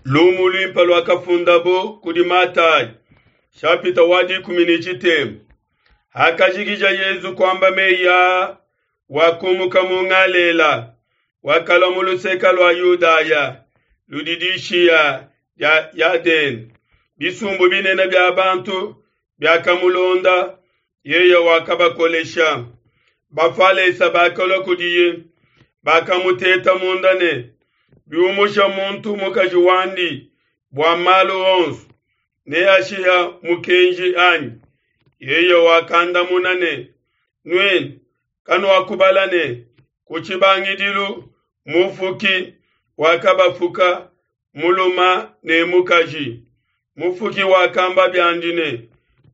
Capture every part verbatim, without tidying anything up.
Lumu luimpe luakafundabo kudi Matayi, shapita wa dikumi ne tshitema. Hakajikija Yesu kuamba meyi aa, wakumuka mu Galela, wakalua mu luseke lua Yudaya ludi dishiya dia Yadene. Bisumbu binene bia bantu biakamulonda, yeye wakabakolesha. Bafalesa bakalua kudiye, bakamuteta munda ne, biumusha muntu mukaji wandi bua malu onso, neashiha mukenji anyi? Yeye wakandamuna ne, nuenu kanuakubala ne, ku tshibangidilu Mufuki wakabafuka mulume ne mukaji. Mufuki wakamba biandi ne,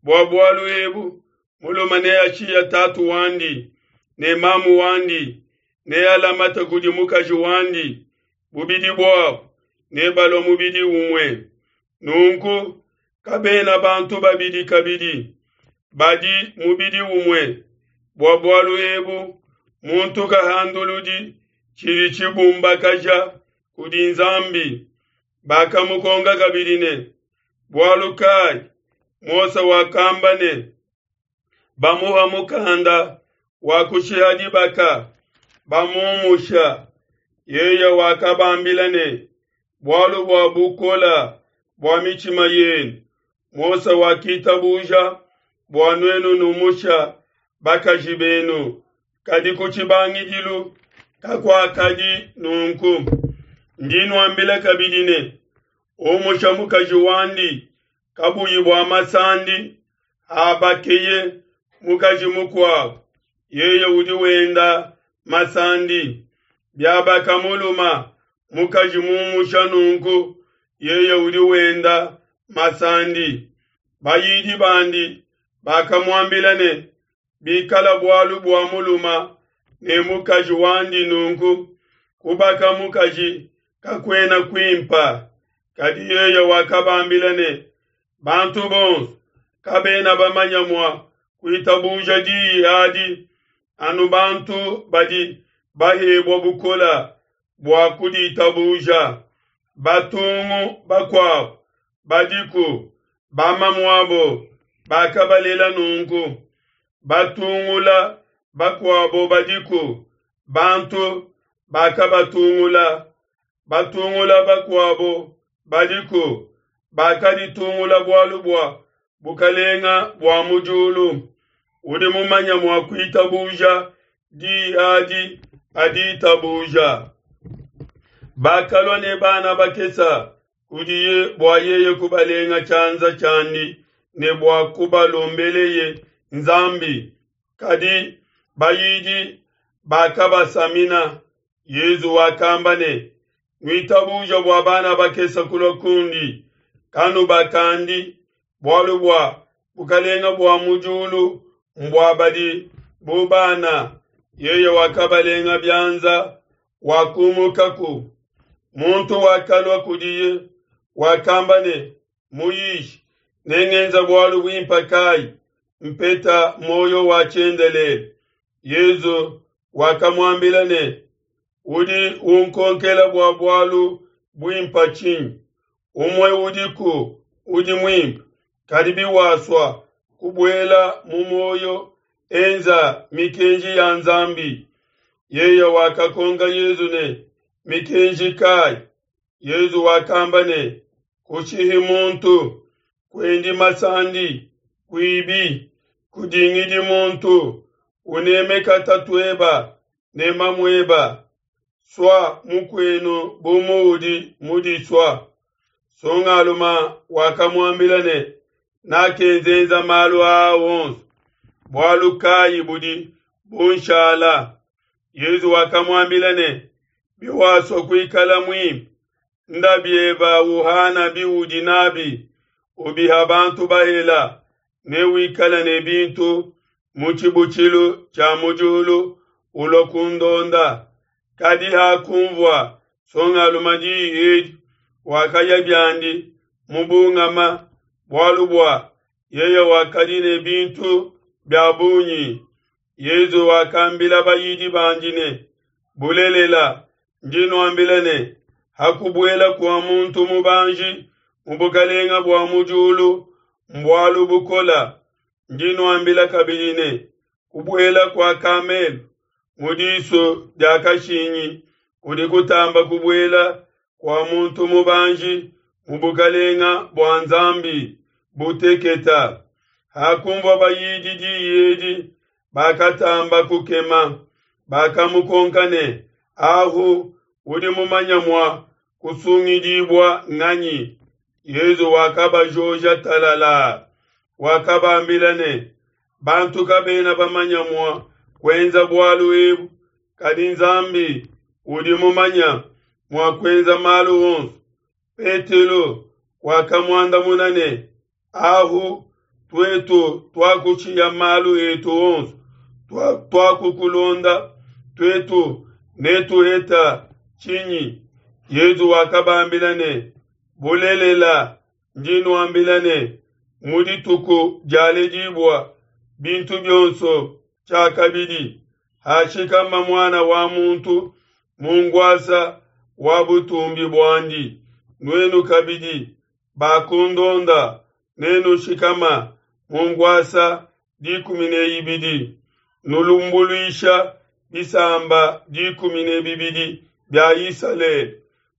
bua bualu ebu mulume neashiye tatu wandi ne mamu wandi, nealamate kudi mukaji wandi, bubidi buabo nebalue mubidi umue. Nunku kabena bantu babidi kabidi, badi mubidi umue. Bua bualu ebu muntu kahanduludi tshidi tshibumbakaja kudi Nzambi. Bakamukonka kabidi ne, bualu kai Mose wakamba ne, bamuha mukanda wa kushiha dibaka, bamumusha? Yeye wakabambila ne, bualu bua bukola bua mitshima yenu, Mose wakitabuja bua nuenu numusha bakaji benu, kadi ku tshibangidilu kakuakadi nunku. Ndi nuambila kabidi ne, umusha mukaji wandi kabuyi bua masandi, habakeye mukaji mukuabo, yeye udi wenda masandi. Biabaka mulume mukaji mumusha nunku, yeye udi wenda masandi. Bayidi bandi bakamuambila ne, bikala bualu bua mulume ne mukaji wandi nunku, kubaka mukaji kakuena kuimpa. Kadi yeye wakabambila ne, bantu bonso kabena bamanya mua kuitabuja diyi adi, anu bantu badi bahebua bukola bua kuditabuja. Batungu bakuabo badiku, bamamuabo bakabalela nunku. Batungula bakuabo badiku, bantu bakabatungula. Batungula bakuabo badiku, bakaditungula bualu bua bukalenga bua mu diulu. Udi mumanya mua kuitabuja diyi adi aditabuja. Bakalua ne bana bakesa kudiye bua yeye kubalenga tshianza tshiandi ne bua kubalombeleye Nzambi. Kadi bayidi bakabasamina. Yesu wakamba ne, nuitabuja bua bana bakesa kulua kundi, kanubakandi, bualu bua bukalenga bua mu diulu mbua badi bu bana. Yeye wakabalenga bianza, wakumukaku. Muntu wakalua kudiye, wakamba ne, Muyishi, nengenza bualu buimpe kai mpeta muoyo wa tshiendelele? Yesu wakamuambila ne, udi unkonkela bua bualu buimpe tshinyi? Umue udiku udi muimpe, kadi biwasua kubuela mu muoyo, enza mikenji ya Nzambi. Yeye wakakonka Yesu ne, mikenji kai? Yesu wakamba ne, kushihi muntu, kuendi masandi, kuibi, kudingidi muntu, unemeka tatueba ne mamueba, sua mukuenu bu muudi mudisua. Songaluma wakamuambila ne, nakenzenza malu aa onso, bualu kai budi bunshala? Yesu wakamuambila ne, biwasua kuikala muimpe, nda bieba uhana biudi nabi, ubiha bantu bahela, ne wikala ne bintu mu tshibutshilu tshia mu diulu, ulua kundonda. Kadi hakunvua songaluma diyi edi, wakaya biandi mubungama, bualu bua yeye wakadi ne bintu bia bungi. Yesu wakambila bayidi bandi ne, bulelela ndi nuambila ne, Hakubuela kua muntu mubanji mu bukalenga bua mu diulu mbualu bukola. Ndi nuambila kabidi ne, kubuela kua kamelu mu disu dia kashingi kudi kutamba kubuela kua muntu mubanji mu bukalenga bua Nzambi buteketa. Hakunvua bayidi diyi edi, bakatamba kukema, bakamukonka ne, Ahu udi mumanya mua kusungidibua nganyi? Yezu wakabajoja talala, wakabambila ne, bantu kabena bamanya mua kuenza bualu ebu, kadi Nzambi udi mumanya mua kuenza malu onso. Petelo wakamuandamuna ne, Ahu tuetu tuakushiya malu etu onso, tuakukulonda, tuetu netuheta tshinyi? Yezu wakabambila ne, Bulelela ndi nuambila ne, mu dituku dialedibua bintu bionso tshiakabidi, hashikama Muana wa muntu mu nkuasa wa butumbi buandi, nuenu kabidi bakundonda nenushikama mu nkuasa dikumi ne ibidi, nulumbuluisha bisamba dikumi ne bibidi bia Isalele.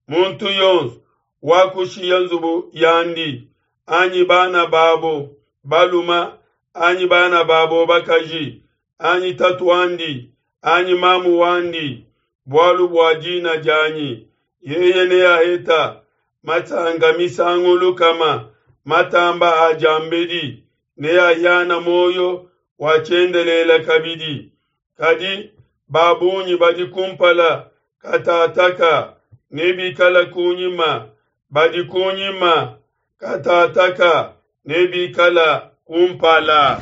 Muntu yonso wakushiya nzubu yandi, anyi bana babo baluma, anyi bana babo bakaji, anyi tatuandi, anyi mamu wandi, bualu bua dina dianyi, yeye neaheta masanka misangu lukama matamba a diambedi, neahiana muoyo wa tshiendelele kabidi. Kadi ba bungi badi kumpala katataka nebikala kunyima, badi kunyima katataka nebikala kumpala.